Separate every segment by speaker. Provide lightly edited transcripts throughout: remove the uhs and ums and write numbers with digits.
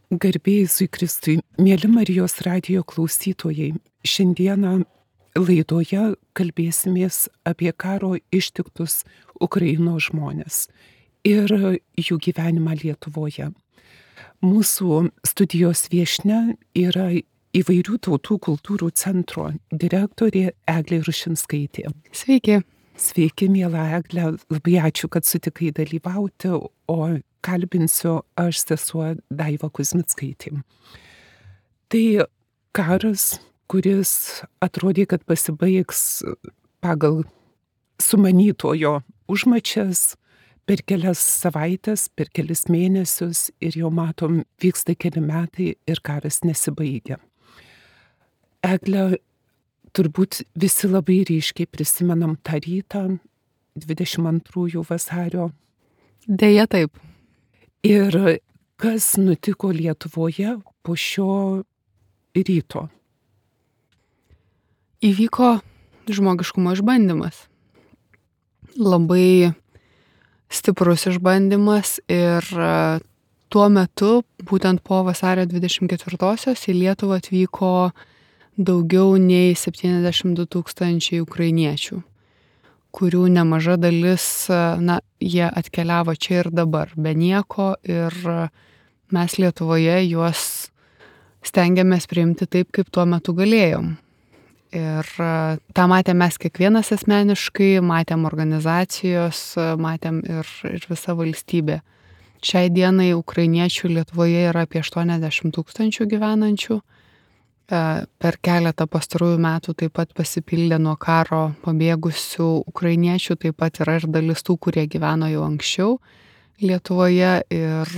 Speaker 1: Garbė Jėzui Kristui, mėly Marijos radijo klausytojai, šiandieną laidoje kalbėsimės apie karo ištiktus Ukrainos žmonės ir jų gyvenimą Lietuvoje. Mūsų studijos viešnia yra įvairių tautų kultūrų centro direktorė Eglė Rušinskaitė.
Speaker 2: Sveiki.
Speaker 1: Sveiki, miela Eglė, labai ačiū, kad sutikai dalyvauti, o kalbinsiu aš sesuo Daiva Kuzmickaitė. Tai karas, kuris atrodė, kad pasibaigs pagal sumanytojo užmačias per kelias savaitės, per kelis mėnesius ir jau matom, vyksta keli metai ir karas nesibaigia. Eglė, turbūt visi labai ryškiai prisimenam tą rytą, 22 vasario.
Speaker 2: Deja taip.
Speaker 1: Ir kas nutiko Lietuvoje po šio ryto?
Speaker 2: Įvyko žmogiškumo išbandymas. Labai stiprus išbandymas ir tuo metu, būtent po vasario 24-osios, į Lietuvą atvyko daugiau nei 72 000 ukrainiečių, kurių nemaža dalis, jie atkeliavo čia ir dabar, be nieko, ir mes Lietuvoje juos stengiamės priimti taip, kaip tuo metu galėjom. Ir tą matėm mes kiekvienas asmeniškai, matėm organizacijos, matėm ir visa valstybė. Šiai dienai ukrainiečių Lietuvoje yra apie 80 000 gyvenančių. Per keletą pastarųjų metų taip pat pasipildė nuo karo pabėgusių ukrainiečių, taip pat yra ir dalis tų, kurie gyveno jau anksčiau Lietuvoje. Ir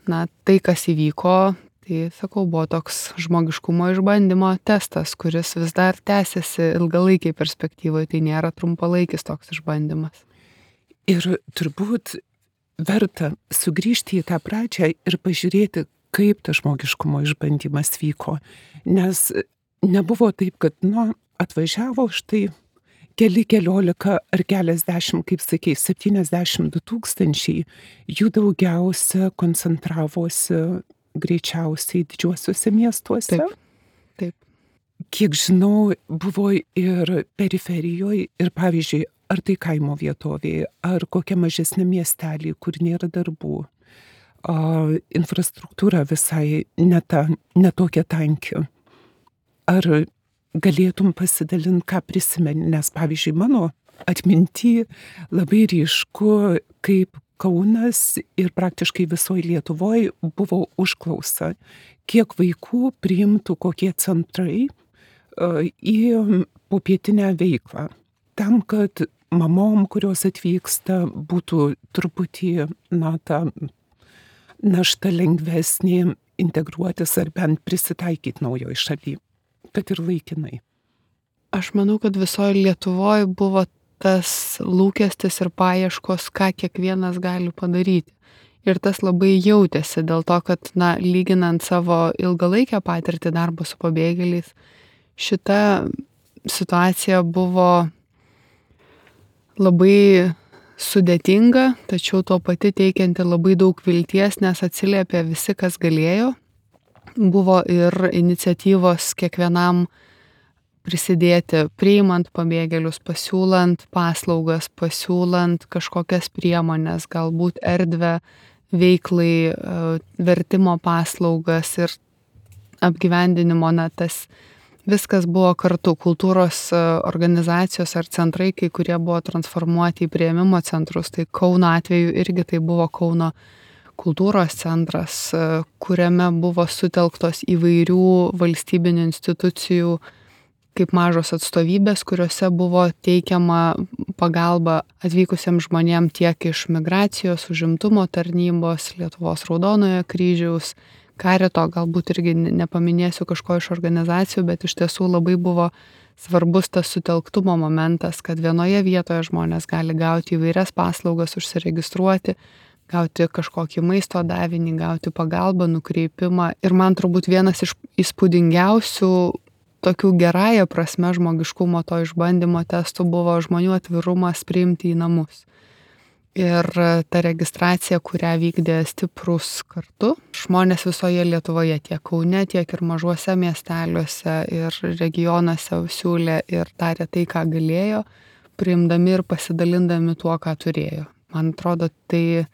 Speaker 2: tai, kas įvyko, tai, sakau, buvo toks žmogiškumo išbandymo testas, kuris vis dar tęsiasi ilgalaikiai perspektyvoje, tai nėra trumpalaikis toks išbandymas.
Speaker 1: Ir turbūt verta sugrįžti į tą pradžią ir pažiūrėti, kaip tas žmogiškumo išbandymas vyko. Nes nebuvo taip, kad, atvažiavo štai keliolika ar keliasdešimt, kaip sakei, 72 000, jų daugiausia koncentravosi greičiausiai didžiuosiuose miestuose.
Speaker 2: Taip.
Speaker 1: Kiek žinau, buvo ir periferijoje, ir pavyzdžiui, ar tai kaimo vietovėje, ar kokia mažesnė miestelė, kur nėra darbų. Infrastruktūra visai ne tokia tanki. Ar galėtum pasidalinti, ką prisimeni, nes pavyzdžiui mano atminty labai ryšku, kaip Kaunas ir praktiškai visoje Lietuvoje buvo užklausa, kiek vaikų priimtų kokie centrai į popietinę veiklą, tam, kad mamom, kurios atvyksta, būtų truputį ta našta lengvesnė integruotis ar bent prisitaikyti naujoj šaly, kad ir laikinai.
Speaker 2: Aš manau, kad visoje Lietuvoje buvo tas lūkestis ir paieškos, ką kiekvienas gali padaryti. Ir tas labai jautėsi dėl to, kad, lyginant savo ilgalaikę patirtį darbo su pabėgėliais, šita situacija buvo labai sudėtinga, tačiau tuo pati teikianti labai daug vilties, nes atsiliepė visi, kas galėjo. Buvo ir iniciatyvos kiekvienam prisidėti, priimant pabėgėlius, pasiūlant paslaugas, pasiūlant kažkokias priemonės, galbūt erdvę veiklai, vertimo paslaugas ir apgyvendinimo, tas viskas buvo kartu. Kultūros organizacijos ar centrai, kai kurie buvo transformuoti į priėmimo centrus. Tai Kauno atveju irgi tai buvo Kauno kultūros centras, kuriame buvo sutelktos įvairių valstybinių institucijų kaip mažos atstovybės, kuriuose buvo teikiama pagalba atvykusiems žmonėms tiek iš migracijos, užimtumo tarnybos, Lietuvos Raudonojo kryžiaus, Karito, galbūt irgi nepaminėsiu kažko iš organizacijų, bet iš tiesų labai buvo svarbus tas sutelktumo momentas, kad vienoje vietoje žmonės gali gauti įvairias paslaugas, užsiregistruoti, gauti kažkokį maisto davinį, gauti pagalbą, nukreipimą. Ir man turbūt vienas iš įspūdingiausių tokių gerąją prasme žmogiškumo to išbandymo testų buvo žmonių atvirumas priimti į namus. Ir ta registracija, kurią vykdė Stiprūs kartu, žmonės visoje Lietuvoje, tiek Kaune, tiek ir mažuose miesteliuose ir regionuose siūlė ir darė tai, ką galėjo, priimdami ir pasidalindami tuo, ką turėjo. Man atrodo, tai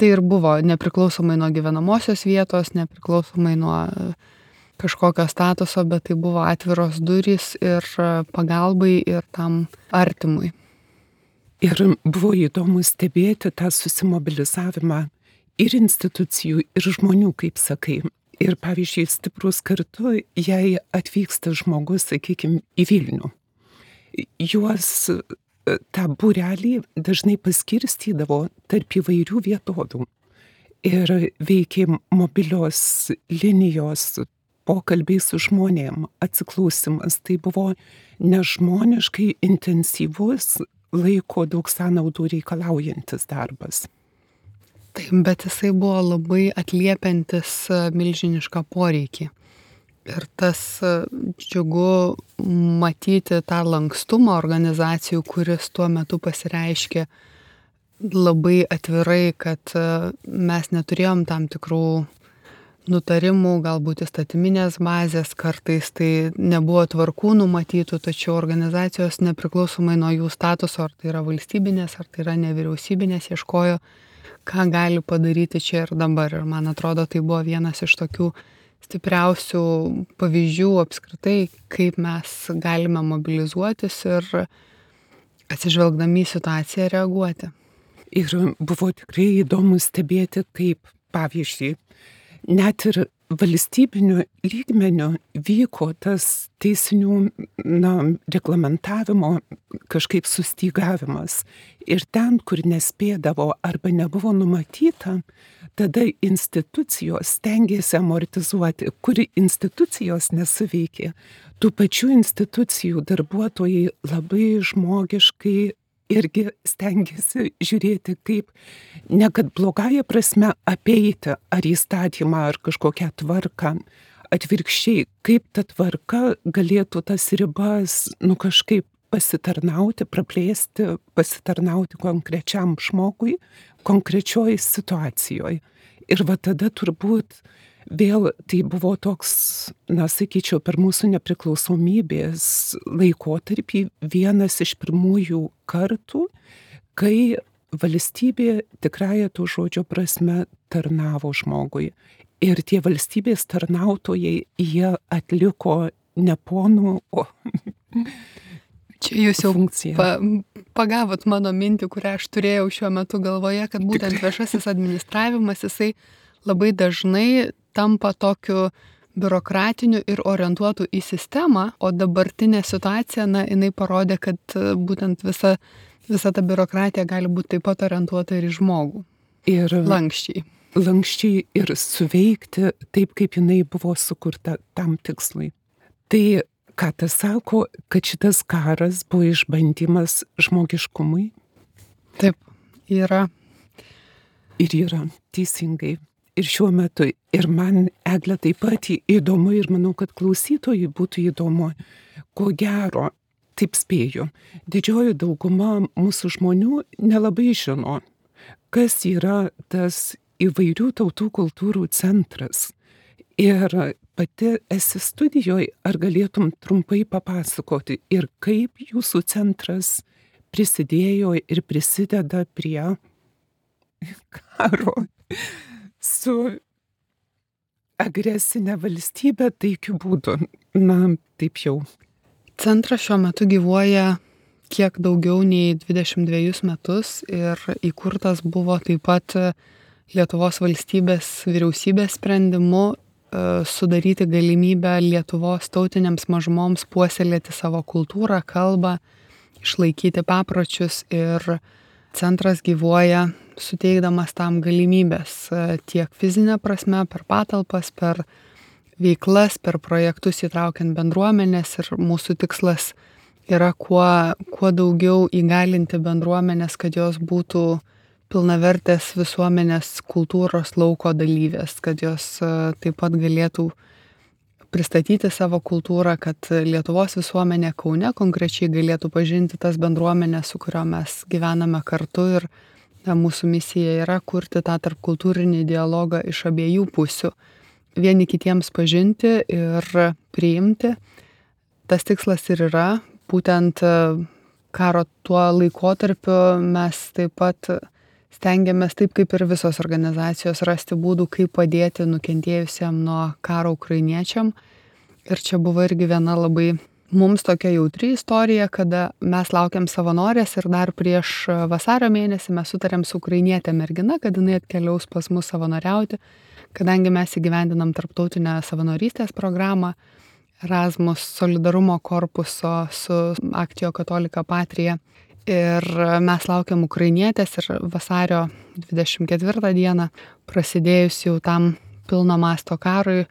Speaker 2: ir buvo nepriklausomai nuo gyvenamosios vietos, nepriklausomai nuo kažkokio statuso, bet tai buvo atviros durys ir pagalbai ir tam artimui.
Speaker 1: Ir buvo įdomu stebėti tą susimobilizavimą ir institucijų, ir žmonių, kaip sakai. Ir pavyzdžiui, Stiprūs kartu, jei atvyksta žmogus, sakykime, į Vilnių, juos tą būrelį dažnai paskirstydavo tarp įvairių vietovių. Ir veikė mobilios linijos, pokalbiai su žmonėm, atsiklausimas. Tai buvo nežmoniškai intensyvus, laiko daug sąnaudų reikalaujantis darbas.
Speaker 2: Taip, bet jisai buvo labai atliepiantis milžinišką poreikį. Ir tas džiugu matyti tą lankstumą organizacijų, kuris tuo metu pasireiškė labai atvirai, kad mes neturėjom tam tikrų nutarimų, galbūt įstatyminės bazės, kartais tai nebuvo tvarkų numatytų, tačiau organizacijos nepriklausomai nuo jų statuso, ar tai yra valstybinės, ar tai yra nevyriausybinės, ieškojo, ką gali padaryti čia ir dabar. Ir man atrodo, tai buvo vienas iš tokių stipriausių pavyzdžių apskritai, kaip mes galime mobilizuotis ir atsižvelgdami į situaciją reaguoti.
Speaker 1: Ir buvo tikrai įdomu stebėti, kaip, pavyzdžiui, net ir valstybiniu lygmeniu vyko tas teisinių reglamentavimo kažkaip sustygavimas. Ir ten, kur nespėdavo arba nebuvo numatyta, tada institucijos stengiasi amortizuoti, kur institucijos nesuveikė. Tų pačių institucijų darbuotojai labai žmogiškai irgi stengiasi žiūrėti, kaip ne kad blogąją prasme apeiti ar įstatymą, ar kažkokią tvarką, atvirkščiai, kaip ta tvarka galėtų tas ribas kažkaip pasitarnauti, praplėsti, pasitarnauti konkrečiam žmogui, konkrečioj situacijoje. Ir va tada turbūt vėl tai buvo toks, sakyčiau, per mūsų nepriklausomybės laikotarpį vienas iš pirmųjų kartų, kai valstybė tikrąja to žodžio prasme tarnavo žmogui. Ir tie valstybės tarnautojai, jie atliko ne ponų, o
Speaker 2: čia jūs jau pagavot mano mintį, kurią aš turėjau šiuo metu galvoje, kad būtent viešasis administravimas, jisai labai dažnai tampa tokiu biurokratiniu ir orientuotu į sistemą, o dabartinė situacija, jinai parodė, kad būtent visa ta biurokratija gali būti taip pat orientuota ir į žmogų.
Speaker 1: Ir
Speaker 2: lankščiai.
Speaker 1: Lankščiai ir suveikti taip, kaip jinai buvo sukurta tam tikslui. Tai ką tas sako, kad šitas karas buvo išbandymas žmogiškumui?
Speaker 2: Taip, yra.
Speaker 1: Ir yra, teisingai. Ir šiuo metu, ir man, Egle, taip pat įdomu, ir manau, kad klausytojui būtų įdomu, ko gero, taip spėju, didžioji dauguma mūsų žmonių nelabai žino, kas yra tas įvairių tautų kultūrų centras. Ir pati esi studijoje, ar galėtum trumpai papasakoti, ir kaip jūsų centras prisidėjo ir prisideda prie karo su agresinė valstybė taikiu būdu. Taip jau.
Speaker 2: Centras šiuo metu gyvuoja kiek daugiau nei 22 metus ir įkurtas buvo taip pat Lietuvos valstybės vyriausybės sprendimu sudaryti galimybę Lietuvos tautinėms mažumoms puoselėti savo kultūrą, kalbą, išlaikyti papročius, ir centras gyvuoja suteikdamas tam galimybės tiek fizinę prasme, per patalpas, per veiklas, per projektus įtraukiant bendruomenės, ir mūsų tikslas yra kuo daugiau įgalinti bendruomenės, kad jos būtų pilnavertės visuomenės kultūros lauko dalyvės, kad jos taip pat galėtų pristatyti savo kultūrą, kad Lietuvos visuomenė Kaune konkrečiai galėtų pažinti tas bendruomenės, su kuriuo mes gyvename kartu, ir Mūsų misija yra kurti tą tarpkultūrinį dialogą iš abiejų pusių, vieni kitiems pažinti ir priimti. Tas tikslas ir yra, būtent karo tuo laikotarpiu mes taip pat stengiamės, taip kaip ir visos organizacijos, rasti būdų, kaip padėti nukentėjusiam nuo karo ukrainiečiam. Ir čia buvo irgi viena labai mums tokia jautri istorija, kada mes laukiam savanorės ir dar prieš vasario mėnesį mes sutarėm su ukrainietė mergina, kad jinai atkeliaus pas mus savanoriauti, kadangi mes įgyvendinam tarptautinę savanorystės programą Erasmus solidarumo korpuso su Actio Catholica Patria. Ir mes laukiam ukrainietės ir vasario 24 dieną, prasidėjus jau tam pilno masto karui,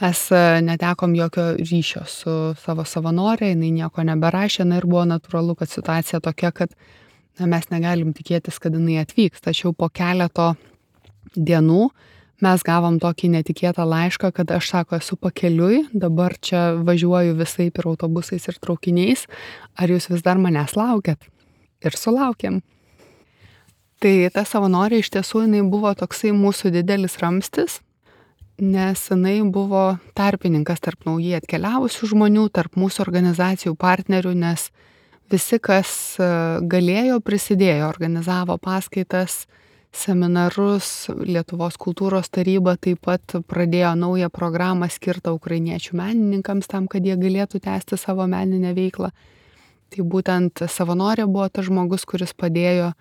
Speaker 2: mes netekom jokio ryšio su savo savanorė, jinai nieko neberašė, ir buvo natūralu, kad situacija tokia, kad mes negalim tikėtis, kad jinai atvyks. Tačiau po keleto dienų mes gavom tokį netikėtą laišką, kad aš, sako, esu pakeliui, dabar čia važiuoju visaip ir autobusais ir traukiniais, ar jūs vis dar manęs laukiat? Ir sulaukėm. Tai ta savanorė iš tiesų jinai buvo toksai mūsų didelis ramstis, nes jinai buvo tarpininkas tarp naujai atkeliavusių žmonių, tarp mūsų organizacijų partnerių, nes visi, kas galėjo, prisidėjo, organizavo paskaitas, seminarus, Lietuvos kultūros taryba taip pat pradėjo naują programą skirtą ukrainiečių menininkams tam, kad jie galėtų tęsti savo meninę veiklą. Tai būtent savanorė buvo tas žmogus, kuris padėjo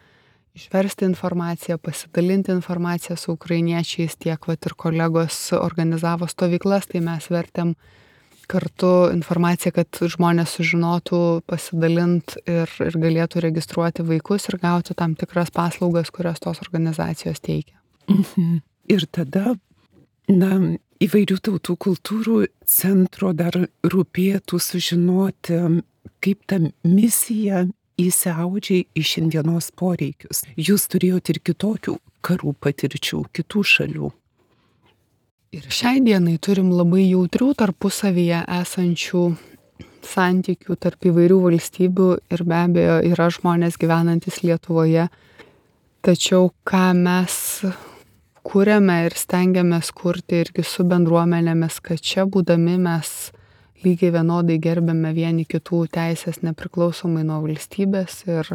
Speaker 2: išversti informaciją, pasidalinti informaciją su ukrainiečiais, tiek ir kolegos organizavo stovyklas, tai mes vertėm kartu informaciją, kad žmonės sužinotų, pasidalint ir galėtų registruoti vaikus ir gauti tam tikras paslaugas, kurias tos organizacijos teikia.
Speaker 1: Ir tada, įvairių tautų kultūrų centro dar rūpėtų sužinoti, kaip ta misija įsiaudžia į šiandienos poreikius. Jūs turėjote ir kitokių karų patirčių, kitų šalių.
Speaker 2: Ir šiai dienai turim labai jautrių tarpusavyje esančių santykių tarp įvairių valstybių ir be abejo yra žmonės gyvenantis Lietuvoje. Tačiau ką mes kuriame ir stengiamės kurti irgi su bendruomenėmis, kad čia būdami mes lygiai vienodai gerbėme vieni kitų teisės nepriklausomai nuo valstybės ir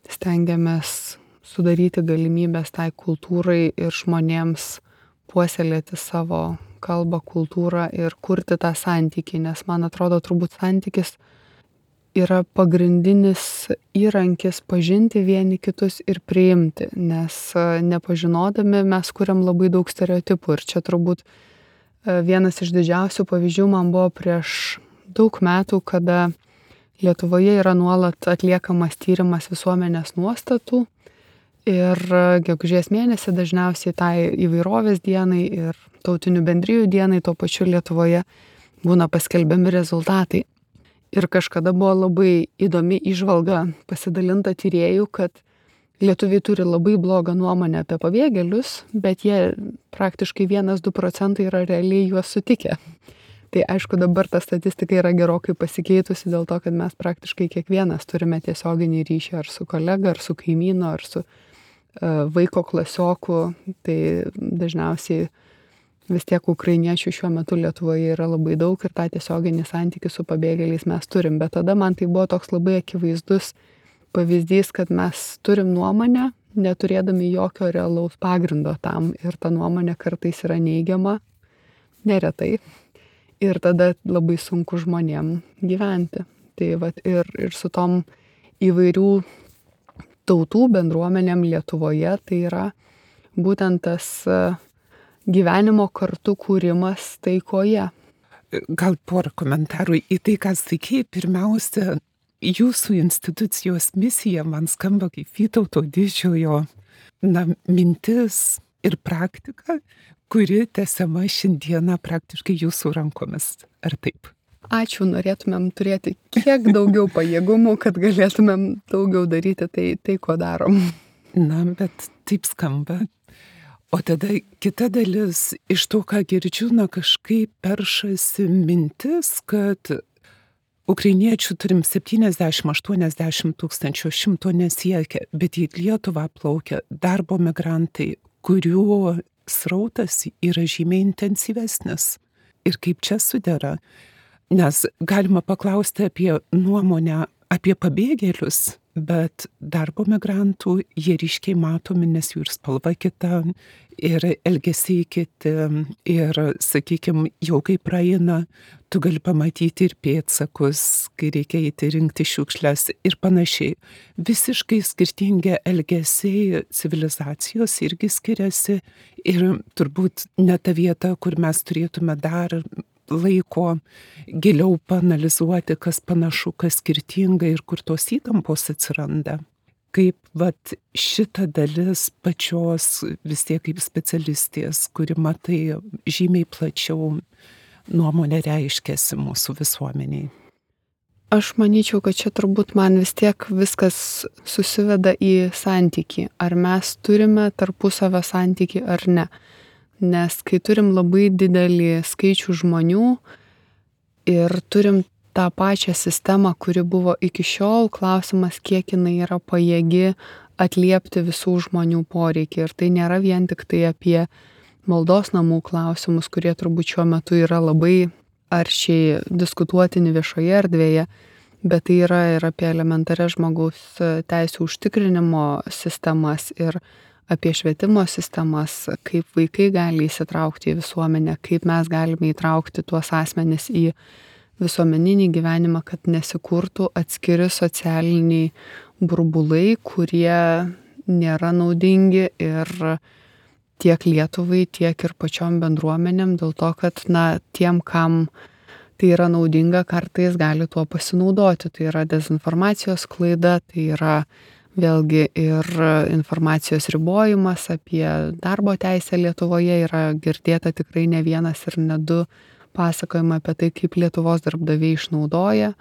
Speaker 2: stengiamės sudaryti galimybės tai kultūrai ir žmonėms puoselėti savo kalbą, kultūrą ir kurti tą santykį, nes man atrodo, turbūt santykis yra pagrindinis įrankis pažinti vieni kitus ir priimti, nes nepažinodami mes kuriam labai daug stereotipų ir čia turbūt vienas iš didžiausių pavyzdžių man buvo prieš daug metų, kada Lietuvoje yra nuolat atliekamas tyrimas visuomenės nuostatų ir gegužės mėnesį dažniausiai tai įvairovės dienai ir tautinių bendrijų dienai tuo pačiu Lietuvoje būna paskelbiami rezultatai. Ir kažkada buvo labai įdomi įžvalga pasidalinta tyrėjų, kad lietuviai turi labai blogą nuomonę apie pabėgėlius, bet jie praktiškai 1–2% yra realiai juos sutikę. Tai aišku, dabar ta statistika yra gerokai pasikeitusi dėl to, kad mes praktiškai kiekvienas turime tiesioginį ryšį ar su kolega, ar su kaimynu, ar su vaiko klasioku. Tai dažniausiai vis tiek ukrainiečių šiuo metu Lietuvoje yra labai daug ir tą tiesioginį santykį su pabėgėliais mes turim. Bet tada man tai buvo toks labai akivaizdus pavyzdys, kad mes turim nuomonę, neturėdami jokio realaus pagrindo tam ir ta nuomonė kartais yra neigiama, neretai. Ir tada labai sunku žmonėm gyventi. Tai ir su tom įvairių tautų bendruomenėm Lietuvoje tai yra būtent tas gyvenimo kartu kūrimas taikoje.
Speaker 1: Gal porą komentarų į tai, ką sakei. Pirmiausia, jūsų institucijos misija man skamba kaip Vytauto Didžiojo mintis ir praktika, kuri tęsiama šiandieną praktiškai jūsų rankomis. Ar taip?
Speaker 2: Ačiū, norėtumėm turėti kiek daugiau pajėgumų, kad galėtumėm daugiau daryti tai ko darom.
Speaker 1: Bet taip skamba. O tada kita dalis, iš to, ką girdžiu, kažkaip peršasi mintis, kad ukrainiečių turim 70-80 tūkstančių, 100 nesiekia, bet į Lietuvą plaukia darbo migrantai, kurių srautas yra žymiai intensyvesnis. Ir kaip čia sudera? Nes galima paklausti apie nuomonę apie pabėgėlius, bet darbo migrantų jie ryškiai matomi, nes jų ir spalva kita, ir elgesiai kiti, ir, sakykime, jau kai praeina, tu gali pamatyti ir pėdsakus, kai reikia eiti rinkti šiukšles ir panašiai. Visiškai skirtingi elgesiai, civilizacijos irgi skiriasi ir turbūt ne ta vieta, kur mes turėtume dar laiko giliau paanalizuoti, kas panašu, kas skirtinga ir kur tos įtampos atsiranda. Kaip šita dalis pačios vis tiek kaip specialistės, kuri matai žymiai plačiau nuomonę reiškiasi mūsų visuomeniai.
Speaker 2: Aš manyčiau, kad čia turbūt man vis tiek viskas susiveda į santykį. Ar mes turime tarpusavio santykį ar ne. Nes kai turim labai didelį skaičių žmonių ir turim tą pačią sistemą, kuri buvo iki šiol, klausimas, kiek jinai yra pajėgi atliepti visų žmonių poreikį. Ir tai nėra vien tik tai apie maldos namų klausimus, kurie turbūt šiuo metu yra labai aršiai diskutuotini viešoje erdvėje, bet tai yra ir apie elementarias žmogaus teisių užtikrinimo sistemas ir apie švietimo sistemas, kaip vaikai gali įsitraukti į visuomenę, kaip mes galime įtraukti tuos asmenis į visuomeninį gyvenimą, kad nesikurtų atskiri socialiniai burbulai, kurie nėra naudingi ir tiek Lietuvai, tiek ir pačiom bendruomenėm, dėl to, kad tiem, kam tai yra naudinga, kartais gali tuo pasinaudoti. Tai yra dezinformacijos klaida, tai yra vėlgi ir informacijos ribojimas apie darbo teisę Lietuvoje yra girdėta tikrai ne vienas ir ne du pasakojimai apie tai, kaip Lietuvos darbdaviai išnaudoja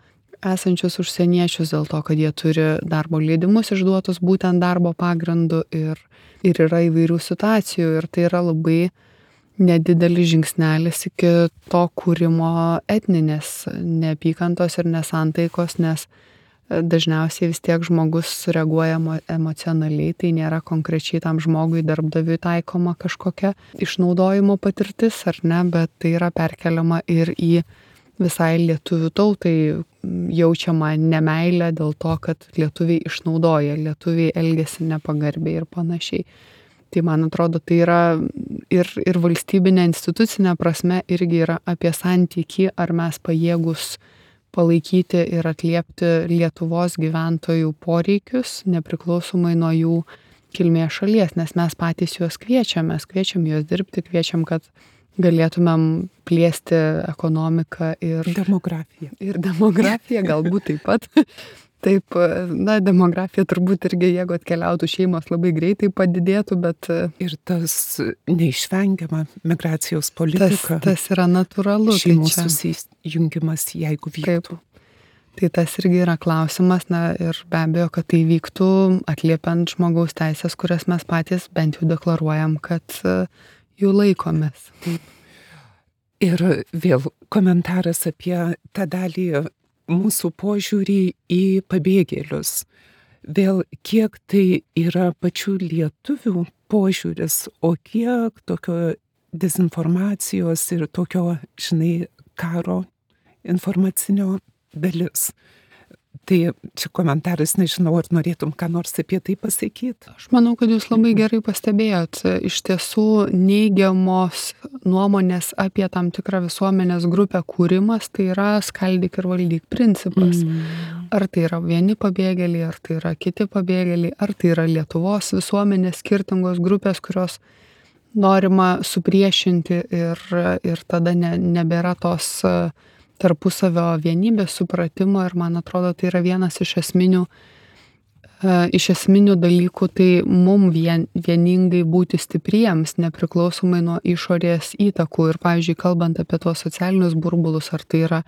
Speaker 2: esančius užsieniečius dėl to, kad jie turi darbo leidimus išduotus būtent darbo pagrindu ir yra įvairių situacijų ir tai yra labai nedidelis žingsnelis iki to kūrimo etninės neapykantos ir nesantaikos, nes dažniausiai vis tiek žmogus reaguoja emocionaliai, tai nėra konkrečiai tam žmogui darbdaviui taikoma kažkokia išnaudojimo patirtis, ar ne, bet tai yra perkeliama ir į visai lietuvių tautai jaučiama nemeilė dėl to, kad lietuviai išnaudoja, lietuviai elgiasi nepagarbiai ir panašiai. Tai man atrodo, tai yra ir valstybinė institucinė prasme irgi yra apie santykį, ar mes pajėgus palaikyti ir atliepti Lietuvos gyventojų poreikius, nepriklausomai nuo jų kilmės šalies, nes mes patys juos kviečiam juos dirbti, kviečiam, kad galėtumėm plėsti ekonomiką ir
Speaker 1: demografiją.
Speaker 2: Ir demografiją galbūt taip pat. Taip, demografija turbūt irgi, jeigu atkeliautų šeimos, labai greitai padidėtų, bet
Speaker 1: ir tas neišvengiama migracijos politika.
Speaker 2: Tas yra natūralu.
Speaker 1: Šeimos susijungimas, jeigu vyktų.
Speaker 2: Taip. Tai tas irgi yra klausimas, ir be abejo, kad tai vyktų atliepiant žmogaus teisės, kurias mes patys bent jau deklaruojam, kad jų laikomės.
Speaker 1: Taip. Ir vėl komentaras apie tą dalį mūsų požiūrį į pabėgėlius. Vėl kiek tai yra pačių lietuvių požiūris, o kiek tokio dezinformacijos ir tokio, karo informacinio dalis. Tai čia komentaras, nežinau, ar norėtum ką nors apie tai pasakyti.
Speaker 2: Aš manau, kad jūs labai gerai pastebėjot. Iš tiesų neigiamos nuomonės apie tam tikrą visuomenės grupę kūrimas, tai yra skaldyk ir valdyk principas. Ar tai yra vieni pabėgėliai, ar tai yra kiti pabėgėliai, ar tai yra Lietuvos visuomenės skirtingos grupės, kurios norima supriešinti ir tada nebėra tos tarpusavio vienybės supratimo ir man atrodo tai yra vienas iš esminių dalykų, tai mum vieningai būti stipriems, nepriklausomai nuo išorės įtakų ir, pavyzdžiui, kalbant apie tuos socialinius burbulus, ar tai yra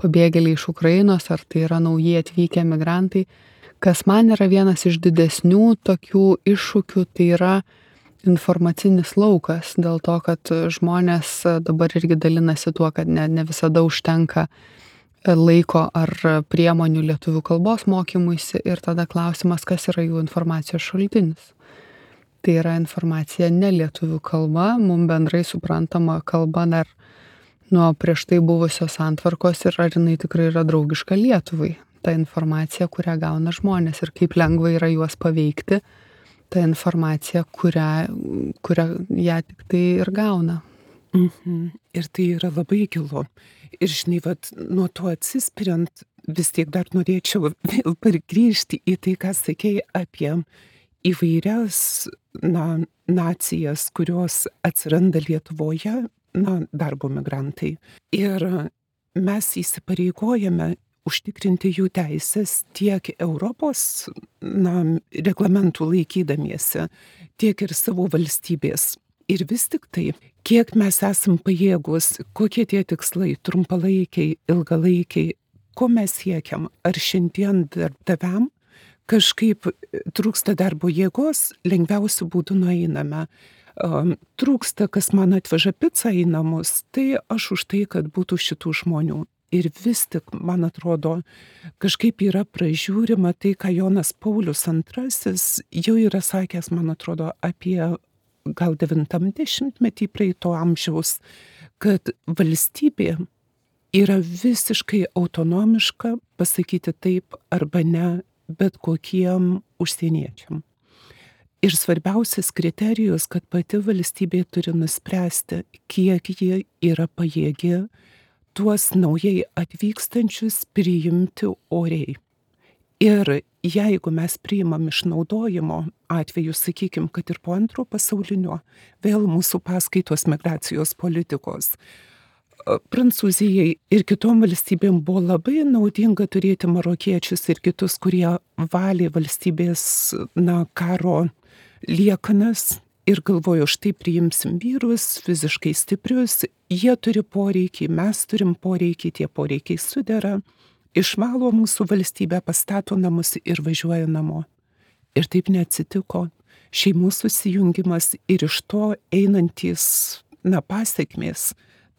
Speaker 2: pabėgėliai iš Ukrainos, ar tai yra naujai atvykę migrantai, kas man yra vienas iš didesnių tokių iššūkių, tai yra informacinis laukas, dėl to, kad žmonės dabar irgi dalinasi tuo, kad ne visada užtenka laiko ar priemonių lietuvių kalbos mokymuisi ir tada klausimas, kas yra jų informacijos šaltinis. Tai yra informacija ne lietuvių kalba, mums bendrai suprantama kalba dar nuo prieš tai buvusios santvarkos ir ar jinai tikrai yra draugiška Lietuvai. Ta informacija, kurią gauna žmonės ir kaip lengva yra juos paveikti, ta informacija, kurią ją tik tai ir gauna.
Speaker 1: Ir tai yra labai gilu. Ir žinai, nuo to atsispiriant, vis tiek dar norėčiau vėl pargrįžti į tai, ką sakei apie įvairias nacijas, kurios atsiranda Lietuvoje, darbo migrantai. Ir mes įsipareigojame užtikrinti jų teisės tiek Europos reglamentų laikydamiesi, tiek ir savo valstybės. Ir vis tik tai, kiek mes esam pajėgus, kokie tie tikslai, trumpalaikiai, ilgalaikiai, ko mes siekiam, ar šiandien darbdaviam kažkaip trūksta darbo jėgos, lengviausių būdų nueiname. Trūksta, kas man atveža pizzą į namus, tai aš už tai, kad būtų šitų žmonių. Ir vis tik, man atrodo, kažkaip yra pražiūrima tai, ką Jonas Paulius II jau yra sakęs, man atrodo, apie gal 90-metį praeito amžiaus, kad valstybė yra visiškai autonomiška pasakyti taip arba ne bet kokiem užsieniečiam. Ir svarbiausias kriterijus, kad pati valstybė turi nuspręsti, kiek ji yra pajėgi tuos naujai atvykstančius priimti oriai. Ir jeigu mes priimam išnaudojimo atveju, sakykim, kad ir po Antro pasaulinio, vėl mūsų paskaitos migracijos politikos, Prancūzijai ir kitom valstybėm buvo labai naudinga turėti marokiečius ir kitus, kurie valė valstybės karo liekanas ir galvojo, štai priimsim vyrus, fiziškai stiprius, jie turi poreikį, mes turim poreikį, tie poreikiai sudera, išvalo mūsų valstybę, pastato namus ir važiuoja namo. Ir taip neatsitiko. Šeimų susijungimas ir iš to einantys pasekmės.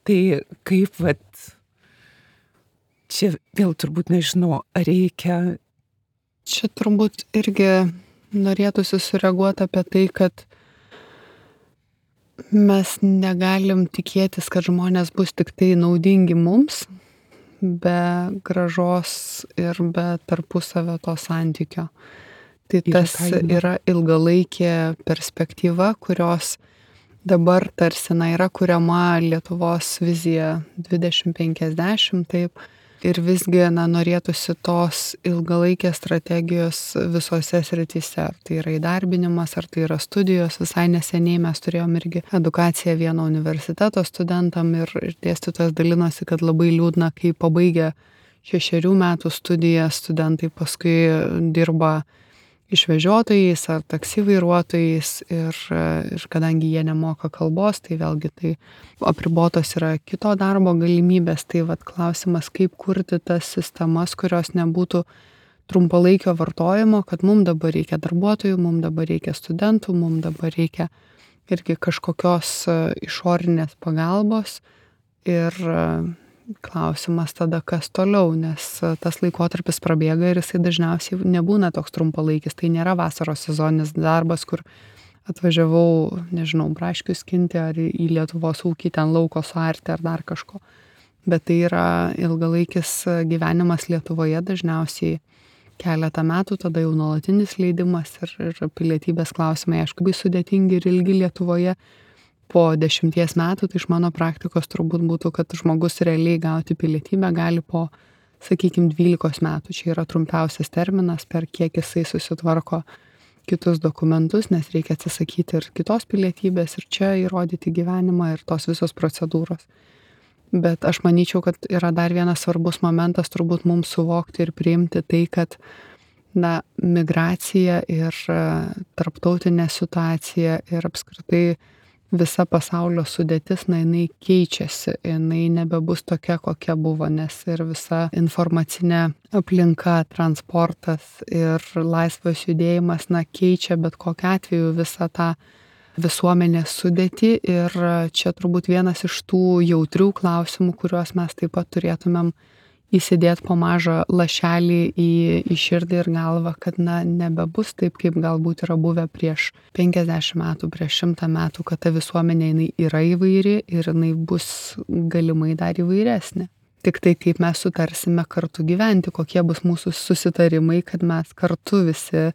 Speaker 1: Tai kaip čia vėl turbūt nežinau, ar reikia.
Speaker 2: Čia turbūt irgi norėtųsi sureaguoti apie tai, kad mes negalim tikėtis, kad žmonės bus tik tai naudingi mums, be grąžos ir be tarpusavio to santykio. Tai tas yra ilgalaikė perspektyva, kurios dabar tarsi yra kuriama Lietuvos vizija 2050, taip. Ir visgi norėtųsi tos ilgalaikės strategijos visose srityse. Ar tai yra įdarbinimas, ar tai yra studijos. Visai neseniai mes turėjom irgi edukaciją vieno universiteto studentam ir dėstytojas dalinosi, kad labai liūdna, kai pabaigę 6 metų studijas studentai paskui dirba išvežiotojais ar taksi vairuotojais ir kadangi jie nemoka kalbos, tai vėlgi tai apribotos yra kito darbo galimybės, tai klausimas, kaip kurti tas sistemas, kurios nebūtų trumpalaikio vartojimo, kad mums dabar reikia darbuotojų, mums dabar reikia studentų, mums dabar reikia irgi kažkokios išorinės pagalbos ir klausimas tada, kas toliau, nes tas laikotarpis prabėga ir jisai dažniausiai nebūna toks trumpalaikis. Tai nėra vasaros sezoninis darbas, kur atvažiavau, nežinau, braškių skinti ar į Lietuvos ūkį ten lauko suarti ar dar kažko. Bet tai yra ilgalaikis gyvenimas Lietuvoje, dažniausiai keletą metų, tada jau nuolatinis leidimas ir pilietybės klausimai, aišku, labai sudėtingi ir ilgi Lietuvoje. Po 10 metų, tai iš mano praktikos turbūt būtų, kad žmogus realiai gauti pilietybę gali po, sakykime, 12 metų. Čia yra trumpiausias terminas, per kiek jisai susitvarko kitus dokumentus, nes reikia atsisakyti ir kitos pilietybės ir čia įrodyti gyvenimą ir tos visos procedūros. Bet aš manyčiau, kad yra dar vienas svarbus momentas turbūt mums suvokti ir priimti tai, kad migracija ir tarptautinė situacija ir apskritai visa pasaulio sudėtis, jinai keičiasi, jinai nebebus tokia, kokia buvo, nes ir visa informacinė aplinka, transportas ir laisvas judėjimas, keičia bet kokiu atveju visą tą visuomenės sudėtį ir čia turbūt vienas iš tų jautrių klausimų, kuriuos mes taip pat turėtumėm įsidėti po mažą lašelį į širdį ir galvą, kad nebebus taip, kaip galbūt yra buvę prieš 50 metų, prieš 100 metų, kad ta visuomenė jinai yra įvairi ir jinai bus galimai dar įvairesnė. Tik tai kaip mes sutarsime kartu gyventi, kokie bus mūsų susitarimai, kad mes kartu visi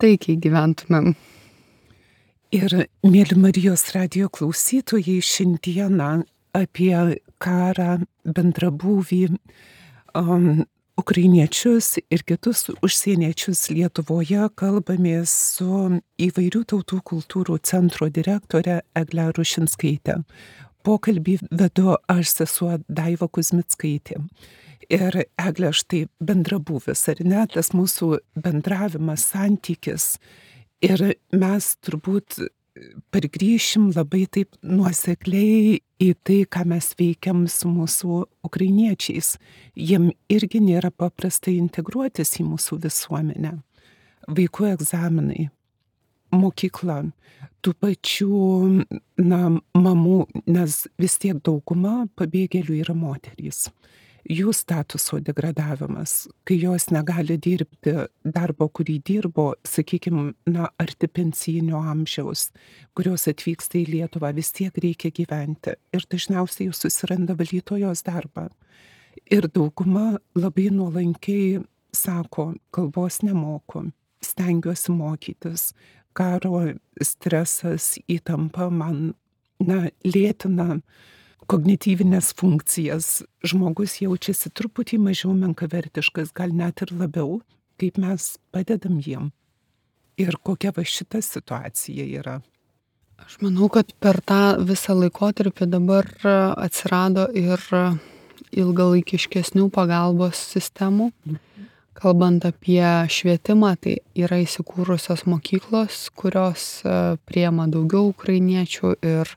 Speaker 2: taikiai gyventumėm.
Speaker 1: Ir, mėly Marijos radijo klausytojai, šiandieną apie karą, bendrabūvį, ukrainiečius ir kitus užsieniečius Lietuvoje kalbamės su įvairių tautų kultūrų centro direktore Egle Rušinskaite. Pokalbį vedu aš, sesuo Daiva Kuzmickaitė. Ir Egle, štai bendrabūvis, ar ne, tas mūsų bendravimas, santykis. Ir mes turbūt pargrįšim labai taip nuosekliai į tai, ką mes veikiam su mūsų ukrainiečiais. Jiem irgi nėra paprasta integruotis į mūsų visuomenę. Vaikų egzaminai, mokykla, tų pačių mamų, nes vis tiek dauguma pabėgėlių yra moterys. Jų statuso degradavimas, kai jos negali dirbti darbo, kurį dirbo, sakykime, arti pensijinio amžiaus, kurios atvyksta į Lietuvą, vis tiek reikia gyventi. Ir dažniausiai jūs susiranda valytojos darbą. Ir dauguma labai nuolankiai sako, kalbos nemoku, stengiuosi mokytis. Karo stresas, įtampa man lėtina kognityvinės funkcijas. Žmogus jaučiasi truputį mažiau menkavertiškas, gal net ir labiau, kaip mes padedam jiem. Ir kokia va šita situacija yra.
Speaker 2: Aš manau, kad per tą visą laikotarpį dabar atsirado ir ilgalaikiškesnių pagalbos sistemų. Kalbant apie švietimą, tai yra įsikūrusios mokyklos, kurios priema daugiau ukrainiečių ir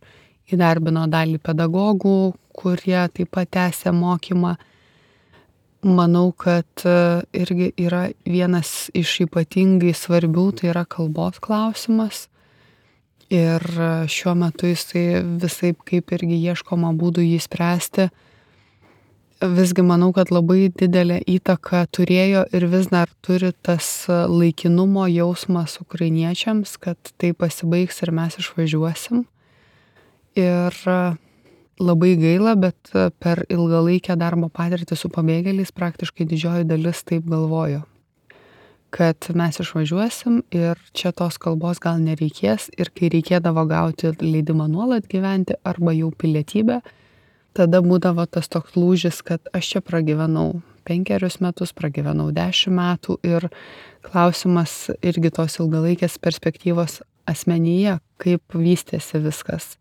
Speaker 2: įdarbino dalį pedagogų, kurie taip pat tęsia mokymą. Manau, kad irgi yra vienas iš ypatingai svarbių, tai yra kalbos klausimas. Ir šiuo metu jisai visaip kaip irgi ieškoma būdų jį spręsti. Visgi manau, kad labai didelę įtaką turėjo ir vis dar turi tas laikinumo jausmas ukrainiečiams, kad tai pasibaigs ir mes išvažiuosim. Ir labai gaila, bet per ilgalaikę darbo patirtį su pabėgėliais praktiškai didžioji dalis taip galvojo, kad mes išvažiuosim ir čia tos kalbos gal nereikės ir kai reikėdavo gauti leidimą nuolat gyventi arba jau pilietybę, tada būdavo tas toks lūžis, kad aš čia pragyvenau 5 metus, pragyvenau 10 metų ir klausimas irgi tos ilgalaikės perspektyvos asmenyje, kaip vystėsi viskas.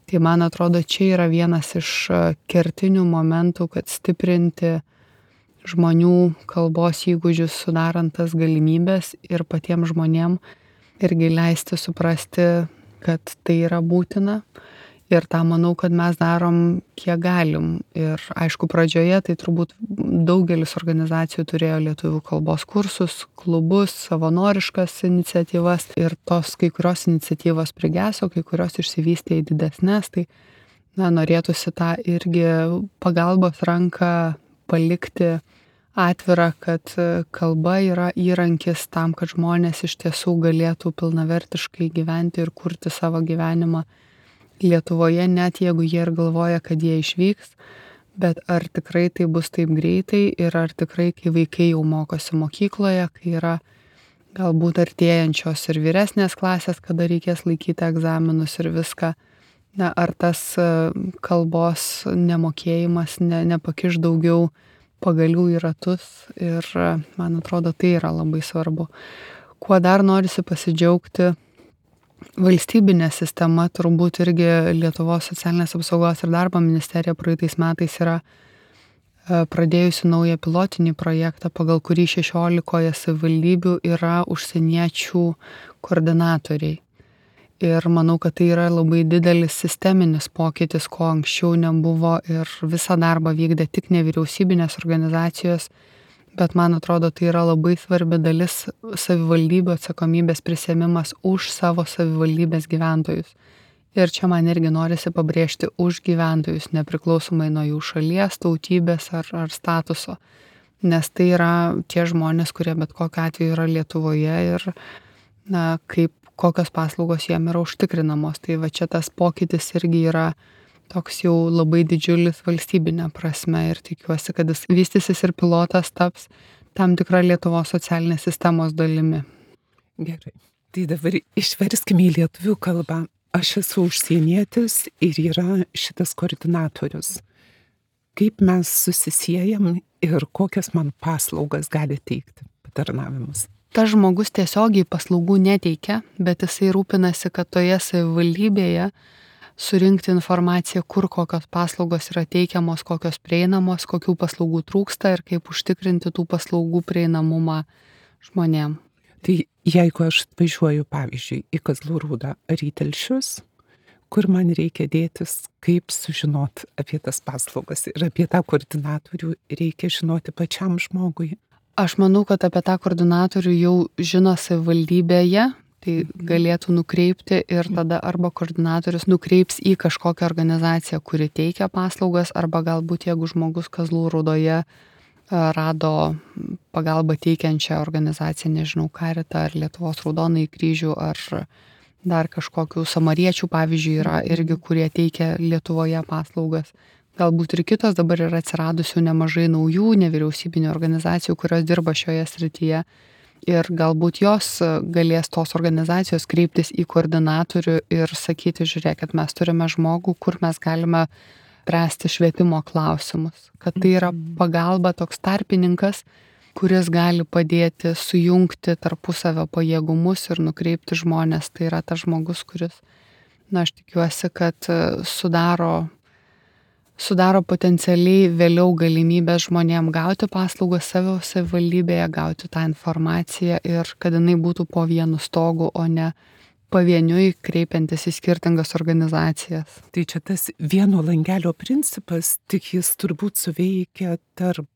Speaker 2: Tai man atrodo, čia yra vienas iš kertinių momentų, kad stiprinti žmonių kalbos įgūdžius, sudarant tas galimybės ir patiems žmonėm irgi leisti suprasti, kad tai yra būtina. Ir tą manau, kad mes darom kiek galim. Ir aišku, pradžioje tai turbūt daugelis organizacijų turėjo lietuvių kalbos kursus, klubus, savanoriškas iniciatyvas. Ir tos kai kurios iniciatyvos prigeso, kai kurios išsivystė į didesnės. Tai norėtųsi tą irgi pagalbos ranką palikti atvirą, kad kalba yra įrankis tam, kad žmonės iš tiesų galėtų pilnavertiškai gyventi ir kurti savo gyvenimą Lietuvoje, net jeigu jie ir galvoja, kad jie išvyks, bet ar tikrai tai bus taip greitai ir ar tikrai, kai vaikai jau mokosi mokykloje, kai yra galbūt artėjančios ir vyresnės klasės, kada reikės laikyti egzaminus ir viską, ar tas kalbos nemokėjimas nepakiš daugiau pagalių į ratus ir man atrodo, tai yra labai svarbu. Kuo dar norisi pasidžiaugti, valstybinė sistema, turbūt irgi Lietuvos socialinės apsaugos ir darbo ministerija praeitais metais yra pradėjusi naują pilotinį projektą, pagal kurį 16 savivaldybių yra užsieniečių koordinatoriai. Ir manau, kad tai yra labai didelis sisteminis pokytis, ko anksčiau nebuvo ir visą darbą vykdė tik nevyriausybinės organizacijos, bet man atrodo, tai yra labai svarbi dalis savivaldybių atsakomybės prisiėmimas už savo savivaldybės gyventojus. Ir čia man irgi norisi pabrėžti už gyventojus, nepriklausomai nuo jų šalies, tautybės ar statuso. Nes tai yra tie žmonės, kurie bet kokiu atveju yra Lietuvoje ir kokios paslaugos jiem yra užtikrinamos. Tai va čia tas pokytis irgi yra toks jau labai didžiulis valstybinė prasme ir tikiuosi, kad jis vystysis ir pilotas taps tam tikra Lietuvos socialinės sistemos dalimi.
Speaker 1: Gerai. Tai dabar išverskime į lietuvių kalbą. Aš esu užsienietis ir yra šitas koordinatorius. Kaip mes susisiejam ir kokias man paslaugas gali teikti, patarnavimus?
Speaker 2: Tas žmogus tiesiogiai paslaugų neteikia, bet jisai rūpinasi, kad toje savivaldybėje surinkti informaciją, kur kokios paslaugos yra teikiamos, kokios prieinamos, kokių paslaugų trūksta ir kaip užtikrinti tų paslaugų prieinamumą žmonėm.
Speaker 1: Tai jeigu aš važiuoju, pavyzdžiui, į Kazlų Rūdą ar į Telšius, kur man reikia dėtis, kaip sužinot apie tas paslaugas ir apie tą koordinatorių reikia žinoti pačiam žmogui?
Speaker 2: Aš manau, kad apie tą koordinatorių jau žino savivaldybėje, tai galėtų nukreipti ir tada arba koordinatorius nukreips į kažkokią organizaciją, kuri teikia paslaugas, arba galbūt jeigu žmogus Kazlų Rūdoje rado pagalbą teikiančią organizaciją, nežinau, Karitą ar Lietuvos Raudonąjį kryžių ar dar kažkokių samariečių, pavyzdžiui, yra irgi, kurie teikia Lietuvoje paslaugas. Galbūt ir kitos dabar yra atsiradusių nemažai naujų nevyriausybinių organizacijų, kurios dirba šioje srityje. Ir galbūt jos galės tos organizacijos kreiptis į koordinatorių ir sakyti, žiūrėkit, mes turime žmogų, kur mes galime spręsti švietimo klausimus. Kad tai yra pagalba, toks tarpininkas, kuris gali padėti sujungti tarpusavio pajėgumus ir nukreipti žmonės. Tai yra tas žmogus, kuris, aš tikiuosi, kad sudaro potencialiai vėliau galimybę žmonėm gauti paslaugas savo savivaldybėje, gauti tą informaciją ir kad jinai būtų po vienu stogu, o ne pavieniui kreipiantis į skirtingas organizacijas.
Speaker 1: Tai čia tas vieno langelio principas, tik jis turbūt suveikia tarp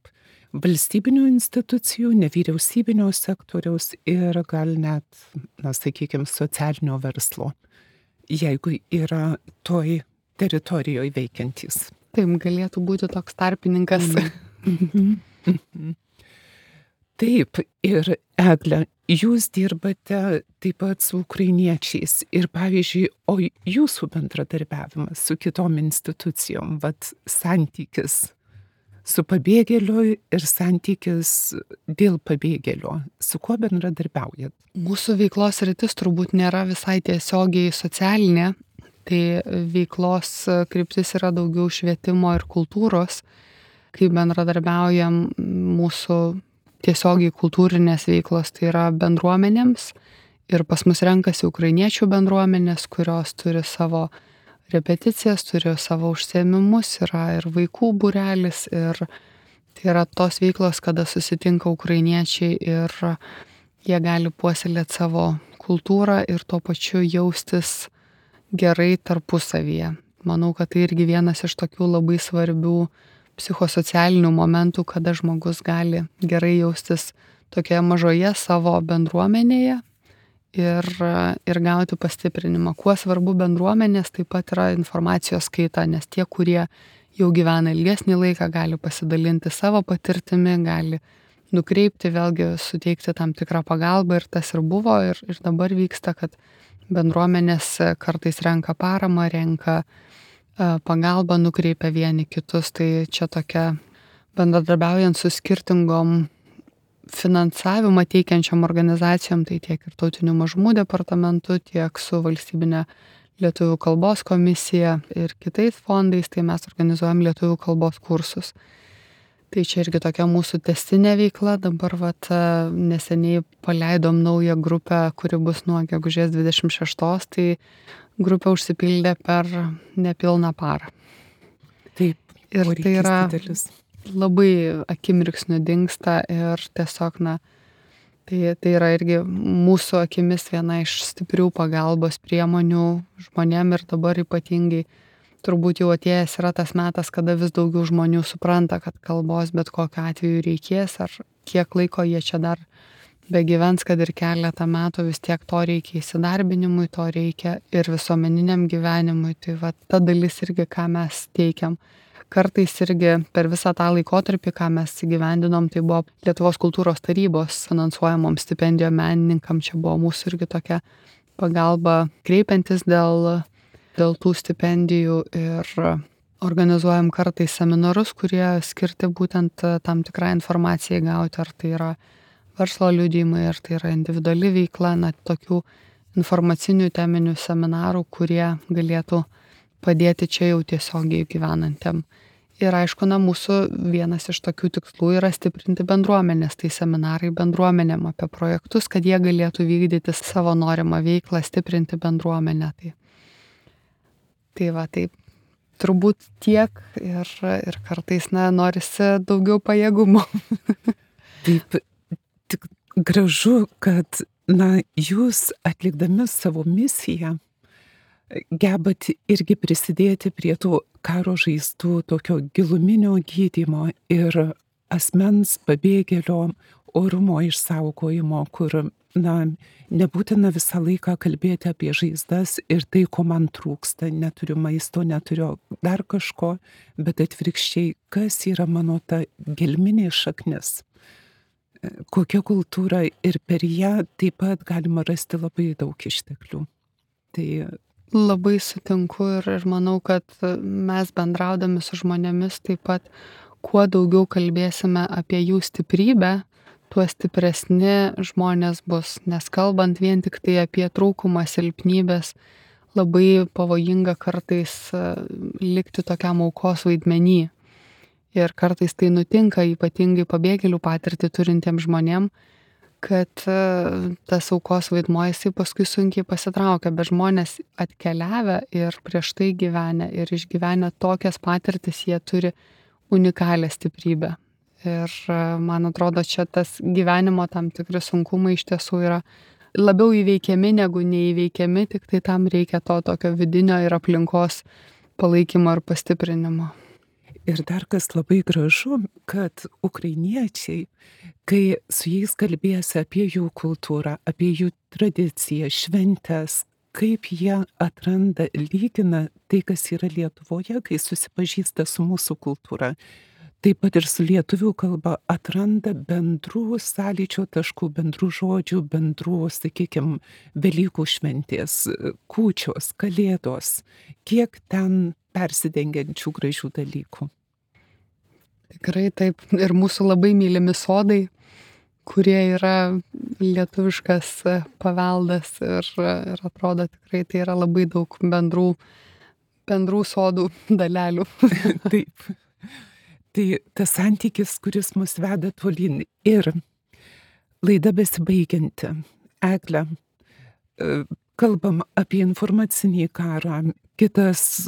Speaker 1: valstybinių institucijų, nevyriausybinio sektoriaus ir gal net, sakykime, socialinio verslo, jeigu yra toj teritorijoje veikiantys.
Speaker 2: Taip, galėtų būti toks tarpininkas.
Speaker 1: Taip, ir Egle, jūs dirbate taip pat su ukrainiečiais ir pavyzdžiui, o jūsų bendradarbiavimas su kitom institucijom, santykis su pabėgėliu ir santykis dėl pabėgėlio, su kuo bendradarbiaujat?
Speaker 2: Mūsų veiklos sritis turbūt nėra visai tiesiogiai socialinė, tai veiklos kryptis yra daugiau švietimo ir kultūros, kai bendradarbiaujam mūsų tiesiogiai kultūrinės veiklos, tai yra bendruomenėms ir pas mus renkasi ukrainiečių bendruomenės, kurios turi savo repeticijas, turi savo užsiėmimus, yra ir vaikų būrelis ir tai yra tos veiklos, kada susitinka ukrainiečiai ir jie gali puoselėti savo kultūrą ir tuo pačiu jaustis gerai tarpusavyje. Manau, kad tai irgi vienas iš tokių labai svarbių psichosocialinių momentų, kada žmogus gali gerai jaustis tokioje mažoje savo bendruomenėje ir gauti pastiprinimą. Kuo svarbu bendruomenės, taip pat yra informacijos skaita, nes tie, kurie jau gyvena ilgesnį laiką, gali pasidalinti savo patirtimi, gali nukreipti, vėlgi suteikti tam tikrą pagalbą ir tas ir buvo ir dabar vyksta, kad bendruomenės kartais renka paramą, renka pagalbą, nukreipia vieni kitus, tai čia tokia bendradarbiaujant su skirtingom finansavimą teikiančiom organizacijom, tai tiek ir tautinių mažumų departamentu, tiek su valstybinė lietuvių kalbos komisija ir kitais fondais, tai mes organizuojam lietuvių kalbos kursus. Tai čia irgi tokia mūsų tęstinė veikla, dabar neseniai paleidom naują grupę, kuri bus nuo gegužės 26, tai grupė užsipildė per nepilną parą.
Speaker 1: Taip,
Speaker 2: ir tai yra didelis. Labai akimirksniu dingsta ir tiesiog, tai yra irgi mūsų akimis viena iš stiprių pagalbos priemonių žmonėm ir dabar ypatingai turbūt jau atėjęs yra tas metas, kada vis daugiau žmonių supranta, kad kalbos bet kokiu atveju reikės ar kiek laiko jie čia dar begyvens, kad ir keletą metų, vis tiek to reikia įsidarbinimui, to reikia ir visuomeniniam gyvenimui. Tai va ta dalis irgi, ką mes teikiam. Kartais irgi per visą tą laikotarpį, ką mes įgyvendinom, tai buvo Lietuvos kultūros tarybos finansuojamom stipendijom menininkam. Čia buvo mūsų irgi tokia pagalba kreipiantis dėl tų stipendijų ir organizuojam kartais seminarus, kurie skirti būtent tam tikrą informaciją gauti, ar tai yra verslo liudijimai, ar tai yra individuali veikla, tokių informacinių teminių seminarų, kurie galėtų padėti čia jau tiesiogiai gyvenantiem. Ir aišku, mūsų vienas iš tokių tikslų yra stiprinti bendruomenės, tai seminarai bendruomenėm apie projektus, kad jie galėtų vykdyti savo norimą veiklą, stiprinti bendruomenę. Tai va, taip. Turbūt tiek ir kartais norisi daugiau pajėgumo.
Speaker 1: Taip, tik gražu, kad jūs atlikdami savo misiją gebat irgi prisidėti prie tų karo žaizdų tokio giluminio gydymo ir asmens pabėgėlio orumo išsaugojimo, kur nebūtina visą laiką kalbėti apie žaizdas ir tai, ko man trūksta, neturiu maisto, neturiu dar kažko, bet atvirkščiai, kas yra mano ta gelminė šaknis, kokia kultūra ir per ją taip pat galima rasti labai daug išteklių. Tai
Speaker 2: labai sutinku ir manau, kad mes bendraudami su žmonėmis taip pat, kuo daugiau kalbėsime apie jų stiprybę, tuo stipresni žmonės bus. Nes kalbant vien tik tai apie trūkumą, silpnybės, labai pavojinga kartais likti tokiam aukos vaidmenį. Ir kartais tai nutinka ypatingai pabėgėlių patirtį turintiems žmonėm, kad tas aukos vaidmuo jisai paskui sunkiai pasitraukia, bet žmonės atkeliavę ir prieš tai gyvenę ir išgyvenę tokias patirtis, jie turi unikalią stiprybę. Ir man atrodo, čia tas gyvenimo tam tikri sunkumai iš tiesų yra labiau įveikiami negu neįveikiami, tik tai tam reikia to tokio vidinio ir aplinkos palaikymo ir pastiprinimo.
Speaker 1: Ir dar kas labai gražu, kad ukrainiečiai, kai su jais kalbėsi apie jų kultūrą, apie jų tradiciją, šventes, kaip jie atranda, lygina tai, kas yra Lietuvoje, kai susipažįsta su mūsų kultūra. Taip pat ir su lietuvių kalba atranda bendrų sąlyčio taškų, bendrų žodžių, bendrų, sakykime, Velykų šventės, kūčios, kalėdos, kiek ten persidengiančių gražių dalykų.
Speaker 2: Tikrai taip. Ir mūsų labai mylimi sodai, kurie yra lietuviškas paveldas ir atrodo tikrai tai yra labai daug bendrų sodų dalelių.
Speaker 1: Taip. Tai tas santykis, kuris mus veda tolyn. Ir laida besibaigianti. Egle, kalbam apie informacinį karą, kitas,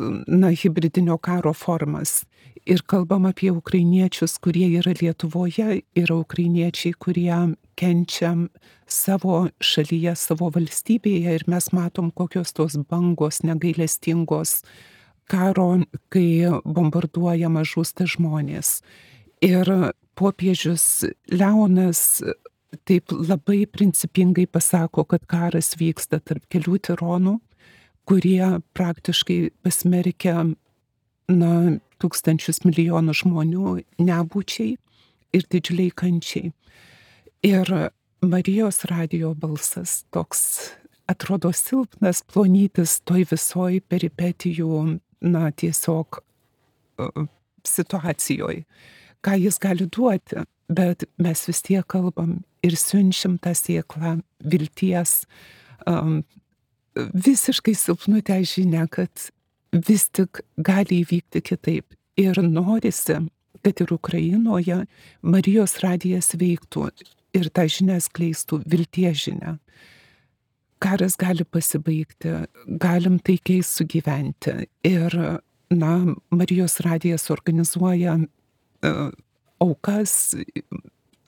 Speaker 1: hibridinio karo formas. Ir kalbam apie ukrainiečius, kurie yra Lietuvoje, yra ukrainiečiai, kurie kenčia savo šalyje, savo valstybėje. Ir mes matom, kokios tos bangos negailestingos karo, kai bombarduojama, žūsta žmonės. Ir popiežius Leonas taip labai principingai pasako, kad karas vyksta tarp kelių tironų, kurie praktiškai pasmerkia tūkstančius milijonų žmonių nebūčiai ir didžiuliai kančiai. Ir Marijos radijo balsas toks atrodo silpnas, plonytis toj visoj peripetijų tiesiog situacijoje, ką jis gali duoti, bet mes vis tiek kalbam ir siunčiam tą sėklą vilties, visiškai silpnutę žinią, kad vis tik gali įvykti kitaip. Ir norisi, kad ir Ukrainoje Marijos radijas veiktų ir tą žinią skleistų, vilties žinią. Karas gali pasibaigti, galim taikiai sugyventi. Ir, Marijos radijas organizuoja aukas,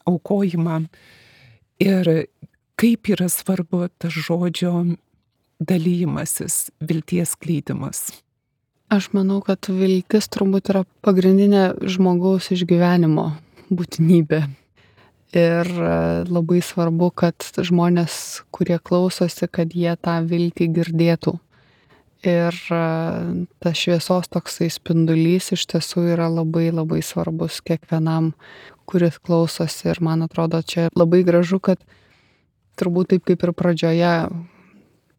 Speaker 1: aukojimą. Ir kaip yra svarbu tas žodžio dalymasis, vilties skleidimas.
Speaker 2: Aš manau, kad viltis turbūt yra pagrindinė žmogaus išgyvenimo būtinybė. Ir labai svarbu, kad žmonės, kurie klausosi, kad jie tą viltį girdėtų. Ir tas šviesos toksai spindulys iš tiesų yra labai labai svarbus kiekvienam, kuris klausosi. Ir man atrodo, čia labai gražu, kad turbūt taip kaip ir pradžioje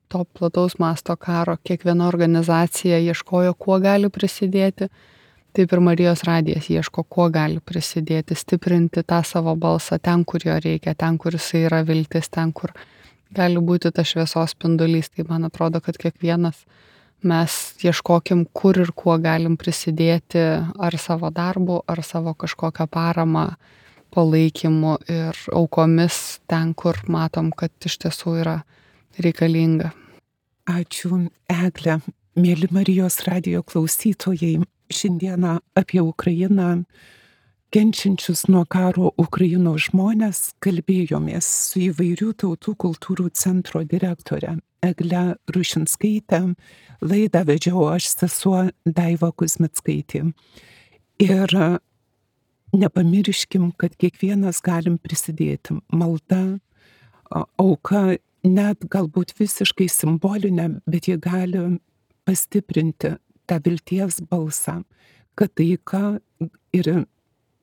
Speaker 2: to plataus masto karo kiekviena organizacija ieškojo, kuo gali prisidėti. Taip ir Marijos radijas ieško, kuo gali prisidėti, stiprinti tą savo balsą ten, kur jo reikia, ten, kur jisai yra viltis, ten, kur gali būti tas šviesos spindulys. Tai man atrodo, kad kiekvienas mes ieškokim, kur ir kuo galim prisidėti, ar savo darbu, ar savo kažkokią paramą, palaikymu ir aukomis ten, kur matom, kad iš tiesų yra reikalinga.
Speaker 1: Ačiū, Egle. Mėly Marijos radijo klausytojai, šiandieną apie Ukrainą, kenčiančius nuo karo Ukrainos žmonės, kalbėjomės su įvairių tautų kultūrų centro direktore Egle Rušinskaite. Laidą vedžiau aš, sesuo Daiva Kuzmickaitė. Ir nepamirškim, kad kiekvienas galim prisidėti. Malda, auka, net galbūt visiškai simbolinė, bet jie gali pastiprinti tą vilties balsą, kad taika ir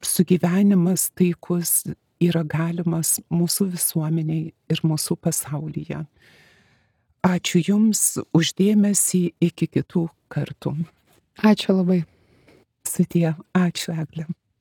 Speaker 1: sugyvenimas taikus yra galimas mūsų visuomeniai ir mūsų pasaulyje. Ačiū Jums už dėmesį, iki kitų kartų.
Speaker 2: Ačiū labai.
Speaker 1: Sudie, ačiū Egle.